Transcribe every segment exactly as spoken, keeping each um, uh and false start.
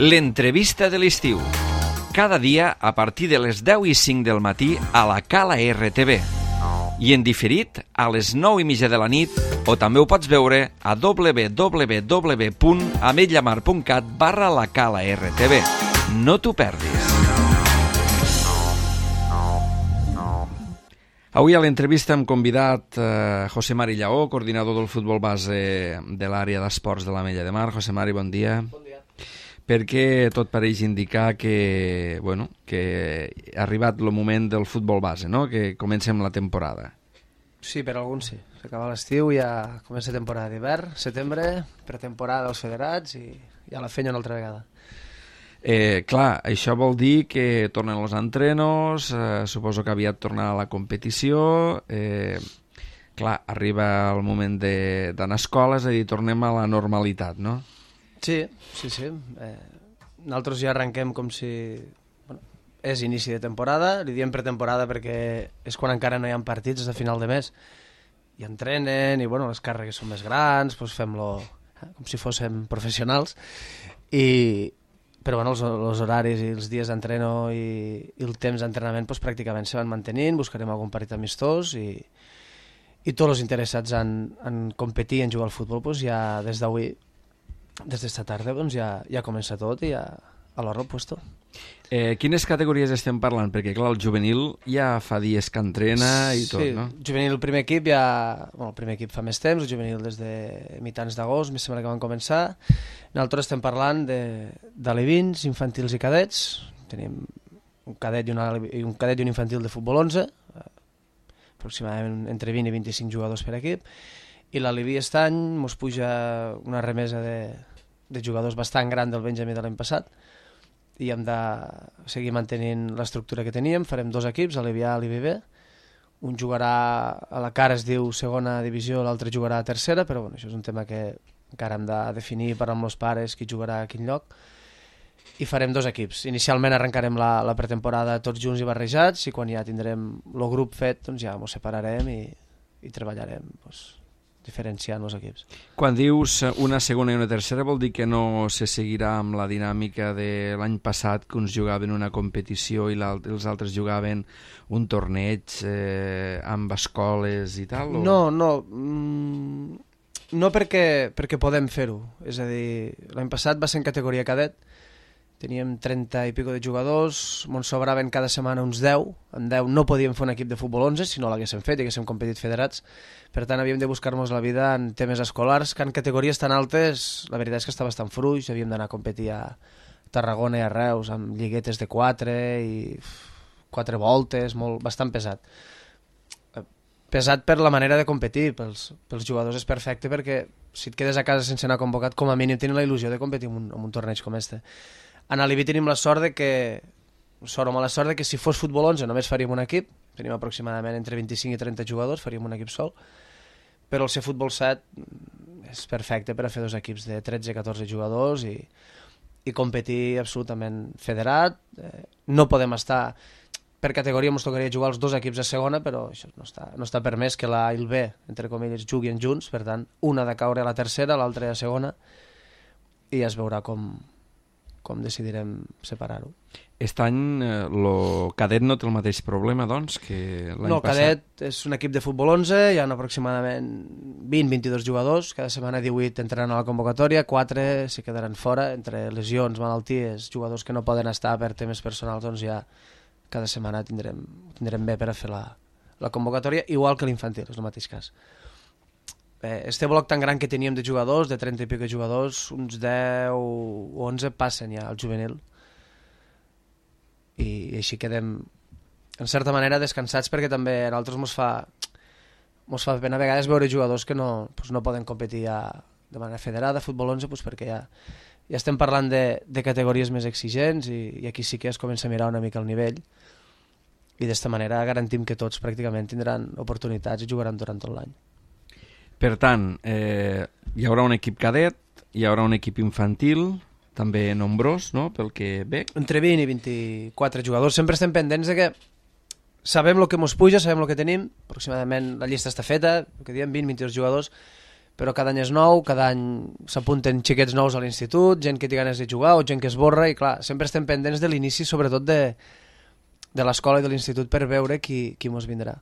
L'entrevista de l'estiu. Cada dia a partir de les deu i cinc del matí a la Cala R T V. I en diferit a les nou i mitja de la nit, o també ho pots veure a w w w punt ametlla mar punt cat barra la Cala R T V. No t'ho perdis. Avui a l'entrevista hem convidat eh, José Mari Lleó, coordinador del futbol base de l'àrea d'esports de l'Ametlla de Mar. José Mari, bon dia. Bon dia. Perquè tot pareix indicar que, bueno, que ha arribat el moment del futbol base, no? Que comencem la temporada. Sí, per alguns sí. S'acaba l'estiu, ja comença temporada d'hivern, setembre, pretemporada dels federats i ja la feina una altra vegada. Eh, clar, això vol dir que tornen els entrenos, eh, suposo que aviat tornarà a la competició, eh, clar, arriba el moment d'anar a escola, és a dir, tornem a la normalitat, no? Sí, sí, sí. Eh, nosaltres ja arrenquem com si... Bueno, és inici de temporada, li diem pretemporada perquè és quan encara no hi ha partits, és de final de mes, i entrenen, i bueno, les càrregues són més grans, doncs fem-lo eh, com si fóssim professionals, i... però bueno, els, els horaris i els dies d'entreno i, i el temps d'entrenament doncs, pràcticament se van mantenint, buscarem algun partit amistós i, i tots els interessats en, en competir, en jugar al futbol, doncs, ja des d'avui, des d'esta tarda, doncs, ja, ja comença tot i ja a l'hora puesto. Eh, quines categories estem parlant? Perquè clar, el juvenil ja fa dies que entrena i tot, sí, no? Sí, juvenil, el primer equip ja... Bueno, el primer equip fa més temps, el juvenil des de mitjans d'agost, més sembla que van començar. Nosaltres estem parlant de, d'alevins, infantils i cadets. Tenim un cadet i, una, un cadet i un infantil de futbol onze, aproximadament entre vint i vint-i-cinc jugadors per equip, i l'aleví aquest any ens puja una remesa de, de jugadors bastant gran del Benjamí de l'any passat, i hem de seguir mantenint l'estructura que teníem. Farem dos equips, Alevi A i Alevi B. Un jugarà a la cara, es diu segona divisió, l'altre jugarà a tercera, però bueno, això és un tema que encara hem de definir per amb els pares qui jugarà a quin lloc. I farem dos equips. Inicialment arrencarem la, la pretemporada tots junts i barrejats, i quan ja tindrem el grup fet, doncs ja ens separarem i, i treballarem doncs, diferenciant els equips. Quan dius una segona i una tercera vol dir que no se seguirà amb la dinàmica de l'any passat, que uns jugaven una competició i els altres jugaven un torneig eh, amb escoles i tal? O... No, no. Mm, no perquè, perquè podem fer-ho. És a dir, l'any passat va ser en categoria cadet, teníem trenta i pico de jugadors, ens sobraven cada setmana uns deu, en deu no podíem fer un equip de futbol onze si no l'haguéssim fet i haguéssim competit federats, per tant havíem de buscar-nos la vida en temes escolars, que en categories tan altes la veritat és que està bastant fruix, havíem d'anar a competir a Tarragona i a Reus amb lliguetes de quatre i quatre voltes, molt, bastant pesat. Pesat per la manera de competir, pels, pels jugadors és perfecte perquè si et quedes a casa sense anar convocat, com a mínim tenen la il·lusió de competir en un, en un torneig com este. En Alevi tenim la sort de que, sort o mala sort de que si fos futbol onze només faríem un equip, tenim aproximadament entre vint-i-cinc i trenta jugadors, faríem un equip sol, però el ser futbol set és perfecte per a fer dos equips de tretze a catorze jugadors i, i competir absolutament federat. Eh, no podem estar... Per categoria ens tocaria jugar els dos equips a segona, però això no està, no està permès que l'A i el B, entre comilles, juguin junts, per tant, una ha de caure a la tercera, l'altra a segona, i ja es veurà com, com decidirem separar-ho. Aquest any el eh, cadet no té el mateix problema, doncs, que l'any no, passat? No, cadet és un equip de futbol onze, hi ha aproximadament vint a vint-i-dos jugadors, cada setmana divuit entraran a la convocatòria, quatre se quedaran fora, entre lesions, malalties, jugadors que no poden estar per temes personals, doncs ja cada setmana tindrem, tindrem bé per a fer la, la convocatòria, igual que l'infantil, és el mateix cas. Eh, este bloc tan gran que teníem de jugadors, de trenta i pico jugadors, uns deu o onze passen ja al juvenil. I, i així quedem, en certa manera, descansats perquè també a nosaltres mos fa, mos fa pena a vegades veure jugadors que no, pues no poden competir ja de manera federada, futbol onze, pues perquè ja, ja estem parlant de, de categories més exigents i, i aquí sí que es comença a mirar una mica el nivell i d'esta manera garantim que tots pràcticament tindran oportunitats i jugaran durant tot l'any. Per tant, eh, hi haurà un equip cadet, hi haurà un equip infantil, també nombrós, no?, pel que ve. Entre vint i vint-i-quatre jugadors. Sempre estem pendents de que sabem el que ens puja, sabem el que tenim, aproximadament la llista està feta, el que diem vint a vint-i-dos jugadors, però cada any és nou, cada any s'apunten xiquets nous a l'institut, gent que té ganes de jugar o gent que esborra, i clar, sempre estem pendents de l'inici, sobretot de, de l'escola i de l'institut, per veure qui, qui mos vindrà.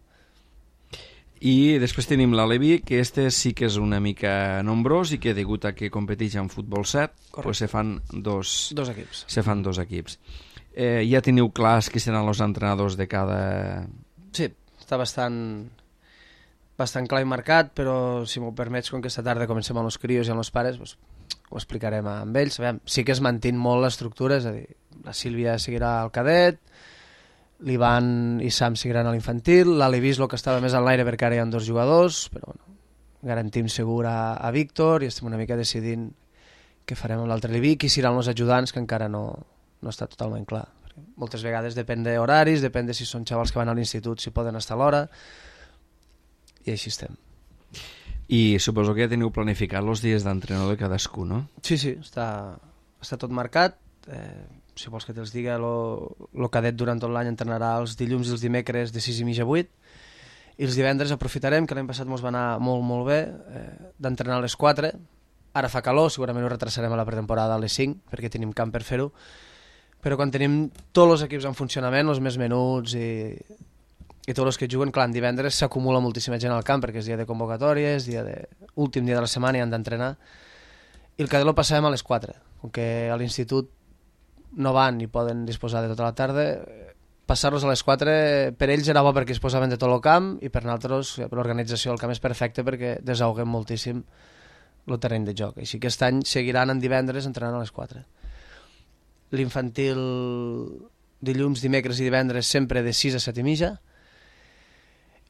I després tenim la Levi, que este sí que és una mica nombrós i que degut a que competeix en futbol set, pues se fan dos, dos equips. Se fan dos equips. Eh, ja teniu clars qui seran els entrenadors de cada... Sí, està bastant, bastant clar i marcat, però si m'ho permets, com que esta tarda comencem amb els crios i amb els pares, pues, ho explicarem amb ells. Aviam, sí que es mantén molt l'estructura, és a dir, la Sílvia seguirà al cadet, l'Ivan i Sam seguiran a l'infantil, l'Alevis el que estava més en l'aire perquè ara hi ha dos jugadors, però bueno, garantim segur a, a Víctor i estem una mica decidint què farem amb l'altre Levi, qui seran els ajudants, que encara no, no està totalment clar. Perquè moltes vegades depèn d'horaris, depèn de si són xavals que van a l'institut, si poden estar a l'hora, i així estem. I suposo que ja teniu planificat els dies d'entrenador de cadascú, no? Sí, sí, està, està tot marcat. Eh, si vols que te'ls diga, el cadet durant tot l'any entrenarà els dilluns i els dimecres de sis i mitja a vuit, i els divendres aprofitarem, que l'any passat ens va anar molt molt bé, eh, d'entrenar a les quatre. Ara fa calor, segurament ho retrasarem a la pretemporada a les cinc, perquè tenim camp per fer-ho, però quan tenim tots els equips en funcionament, els més menuts i, i tots els que juguen, clar, en divendres s'acumula moltíssima gent al camp, perquè és dia de convocatòria, és dia de... últim dia de la setmana i han d'entrenar, i el cadet lo passàvem a les quatre, com que a l'institut no van i poden disposar de tota la tarda, passar-los a les quatre per ells era bo perquè es posaven de tot el camp, i per nosaltres, per l'organització, el camp és perfecte perquè desahoguem moltíssim el terreny de joc. Així que aquest any seguiran en divendres entrenant a les quatre. L'infantil dilluns, dimecres i divendres sempre de sis a set i mitja,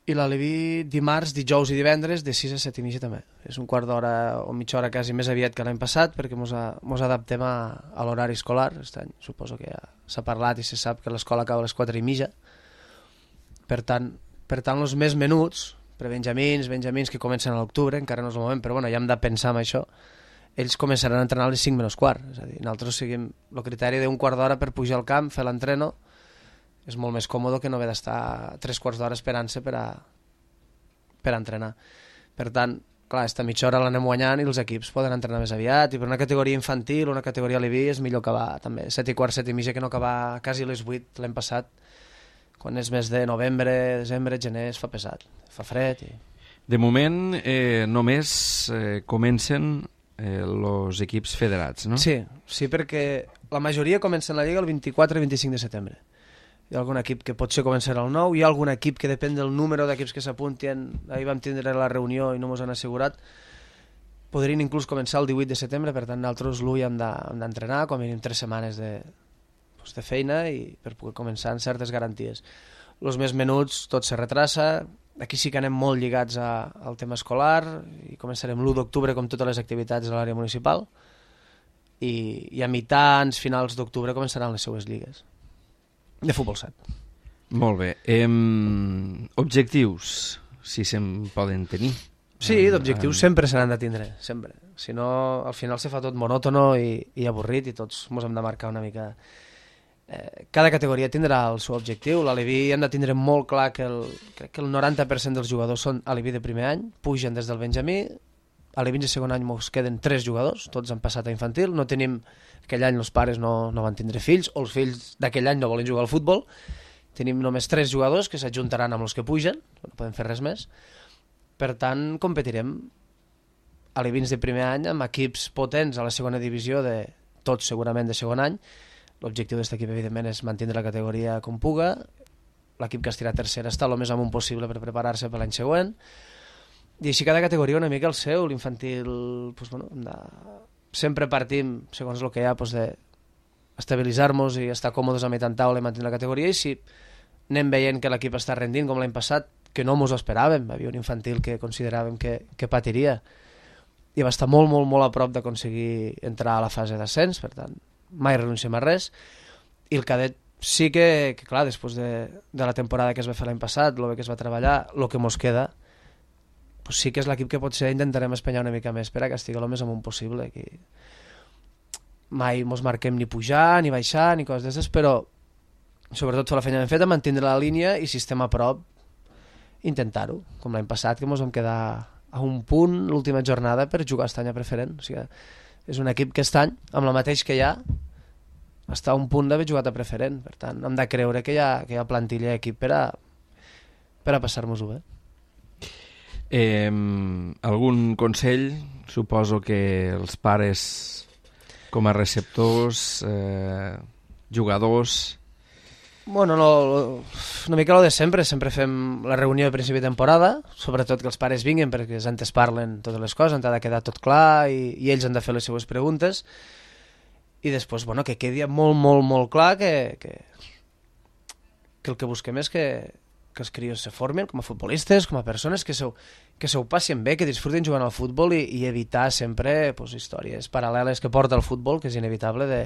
i la Levi dimarts, dijous i divendres de sis a set i mitja també. És un quart d'hora o mitja hora quasi més aviat que l'any passat, perquè mos, a, mos adaptem a, a l'horari escolar. Aquest any suposo que ja s'ha parlat i se sap que l'escola acaba a les quatre i mitja. Per tant, per tant els més menuts, prebenjamins, benjamins que comencen a l'octubre, encara no és el moment, però bueno, ja hem de pensar en això, ells començaran a entrenar a les cinc menys quart. És a dir, nosaltres seguim el criteri d'un quart d'hora per pujar al camp, fer l'entreno. És molt més còmode que no haver d'estar tres quarts d'hora esperant-se per a, per a entrenar. Per tant, clar, esta mitja hora l'anem guanyant i els equips poden entrenar més aviat, i per una categoria infantil, una categoria Levi, és millor acabar també set i quart, set i mitja, que no acabar quasi a les vuit l'any passat, quan és més de novembre, desembre, gener, es fa pesat, fa fred. I... De moment eh, només eh, comencen els eh, equips federats, no? Sí, sí, perquè la majoria comencen la Lliga el vint-i-quatre i vint-i-cinc de setembre. Hi ha algun equip que potser començarà el nou, hi ha algun equip que depèn del número d'equips que s'apuntin, ahir vam tindre la reunió i no mos han assegurat, podrien inclús començar el divuit de setembre, per tant nosaltres l'u hem d'entrenar, com a mínim tres setmanes de, doncs, de feina i per poder començar amb certes garanties. Els més menuts tot se retrassa, aquí sí que anem molt lligats a, al tema escolar, i començarem l'u d'octubre com totes les activitats de l'àrea municipal, i, i a mitjans, finals d'octubre començaran les seues lligues. De futbol set. Molt bé. Ehm, objectius, si se'n poden tenir. Sí, d'objectius um... sempre se n'han de tindre, sempre. Si no, al final se fa tot monòtono i, i avorrit, i tots ens hem de marcar una mica. Eh, cada categoria tindrà el seu objectiu. L'Aleví hem de tindre molt clar que el, crec que el noranta per cent dels jugadors són Aleví de primer any, pugen des del Benjamí, a l'Aleví de segon any ens queden tres jugadors, tots han passat a infantil, no tenim... Aquell any els pares no, no van tindre fills, o els fills d'aquell any no volen jugar al futbol. Tenim només tres jugadors que s'ajuntaran amb els que pugen, no podem fer res més. Per tant, competirem alevins de primer any amb equips potents a la segona divisió, de tots segurament de segon any. L'objectiu d'aquest equip, evidentment, és mantenir la categoria com puga. L'equip que estirà tercera està el més amunt possible per preparar-se per l'any següent. I així cada categoria una mica el seu. L'infantil, doncs, bueno, hem de... sempre partim, segons el que hi ha, doncs, d'estabilitzar-nos i estar còmodes a mitjan taula i mantenir la categoria, i si anem veient que l'equip està rendint com l'any passat, que no mos ho esperàvem, hi havia un infantil que consideràvem que, que patiria i va estar molt, molt, molt a prop d'aconseguir entrar a la fase d'ascens, per tant, mai renunciem a res, i el cadet sí que, que clar, després de, de la temporada que es va fer l'any passat, el bé que es va treballar, el que mos queda, pues sí que és l'equip que potser intentarem espenyar una mica més per a que estigui el més amunt possible, que mai mos marquem ni pujar, ni baixar, ni coses d'aquestes, però sobretot fer la feina ben feta, mantenir la línia, i si estem a prop, intentar-ho, com l'any passat, que mos vam quedar a un punt l'última jornada per jugar a Estany a preferent. O sigui, és un equip que Estany, amb la mateix que hi ha, està a un punt d'haver jugat a preferent. Per tant, hem de creure que hi ha, que hi ha plantilla i equip per a, per a passar-nos-ho bé. Eh, algun consell? Suposo que els pares com a receptors, eh, jugadors... Bueno, no, una mica el de sempre, sempre fem la reunió de principi de temporada, sobretot que els pares vinguin perquè antes parlen totes les coses, han de quedar tot clar i, i ells han de fer les seues preguntes i després, bueno, que quedi molt, molt, molt clar que, que, que el que busquem és que, que els crios se formin com a futbolistes, com a persones, que se, que se ho passin bé, que disfruten jugant al futbol i, i evitar sempre pues, històries paral·leles que porta el futbol, que és inevitable, de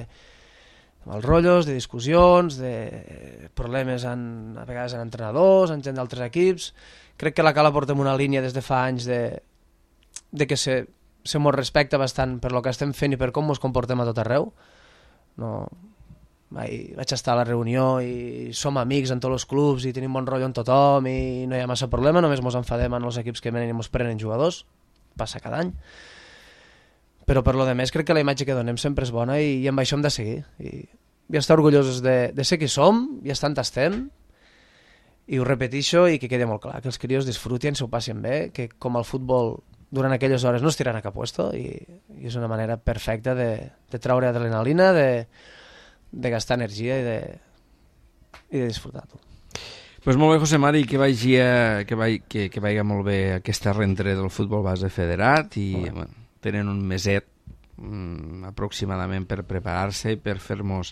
els rotllos, de discussions, de problemes en, a vegades en entrenadors, en gent d'altres equips. Crec que la Cala portem una línia des de fa anys de, de que se, se mos respecta bastant per lo que estem fent i per com ens comportem a tot arreu. No, mai, vaig estar a la reunió i som amics en tots els clubs i tenim bon rotllo amb tothom i no hi ha massa problema, només ens enfadem en els equips que venen i ens prenen jugadors, passa cada any. Però per lo de més crec que la imatge que donem sempre és bona i, i amb això hem de seguir i, i estar orgullosos de, de ser qui som i estar on estem i ho repeteixo i que quedi molt clar que els crios disfrutin, s'ho passin bé, que com el futbol durant aquelles hores no es tiran a cap puesto i, i és una manera perfecta de, de treure adrenalina, de, de gastar energia i de, i de disfrutar-ho. Pues molt bé, José Mari, que vagi, a, que, vagi que, que vagi molt bé aquesta rentre del futbol base federat i bueno, tenen un meset mm, aproximadament per preparar-se i per fer-nos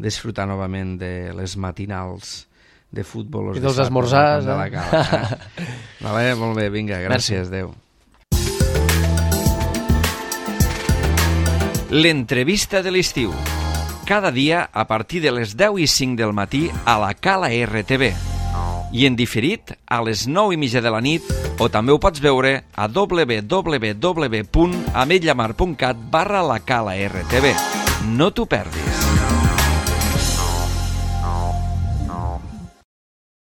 disfrutar novament de les matinals de futbol i dels esmorzars de la Cala, eh? Vale, molt bé, vinga, gràcies, adeu. L'entrevista de l'estiu cada dia a partir de les deu i cinc del matí a la Cala R T V i en diferit a les nou i mitja de la nit o també ho pots veure a w w w punt ametlla mar punt cat barra la Cala R T V. No t'ho perdis.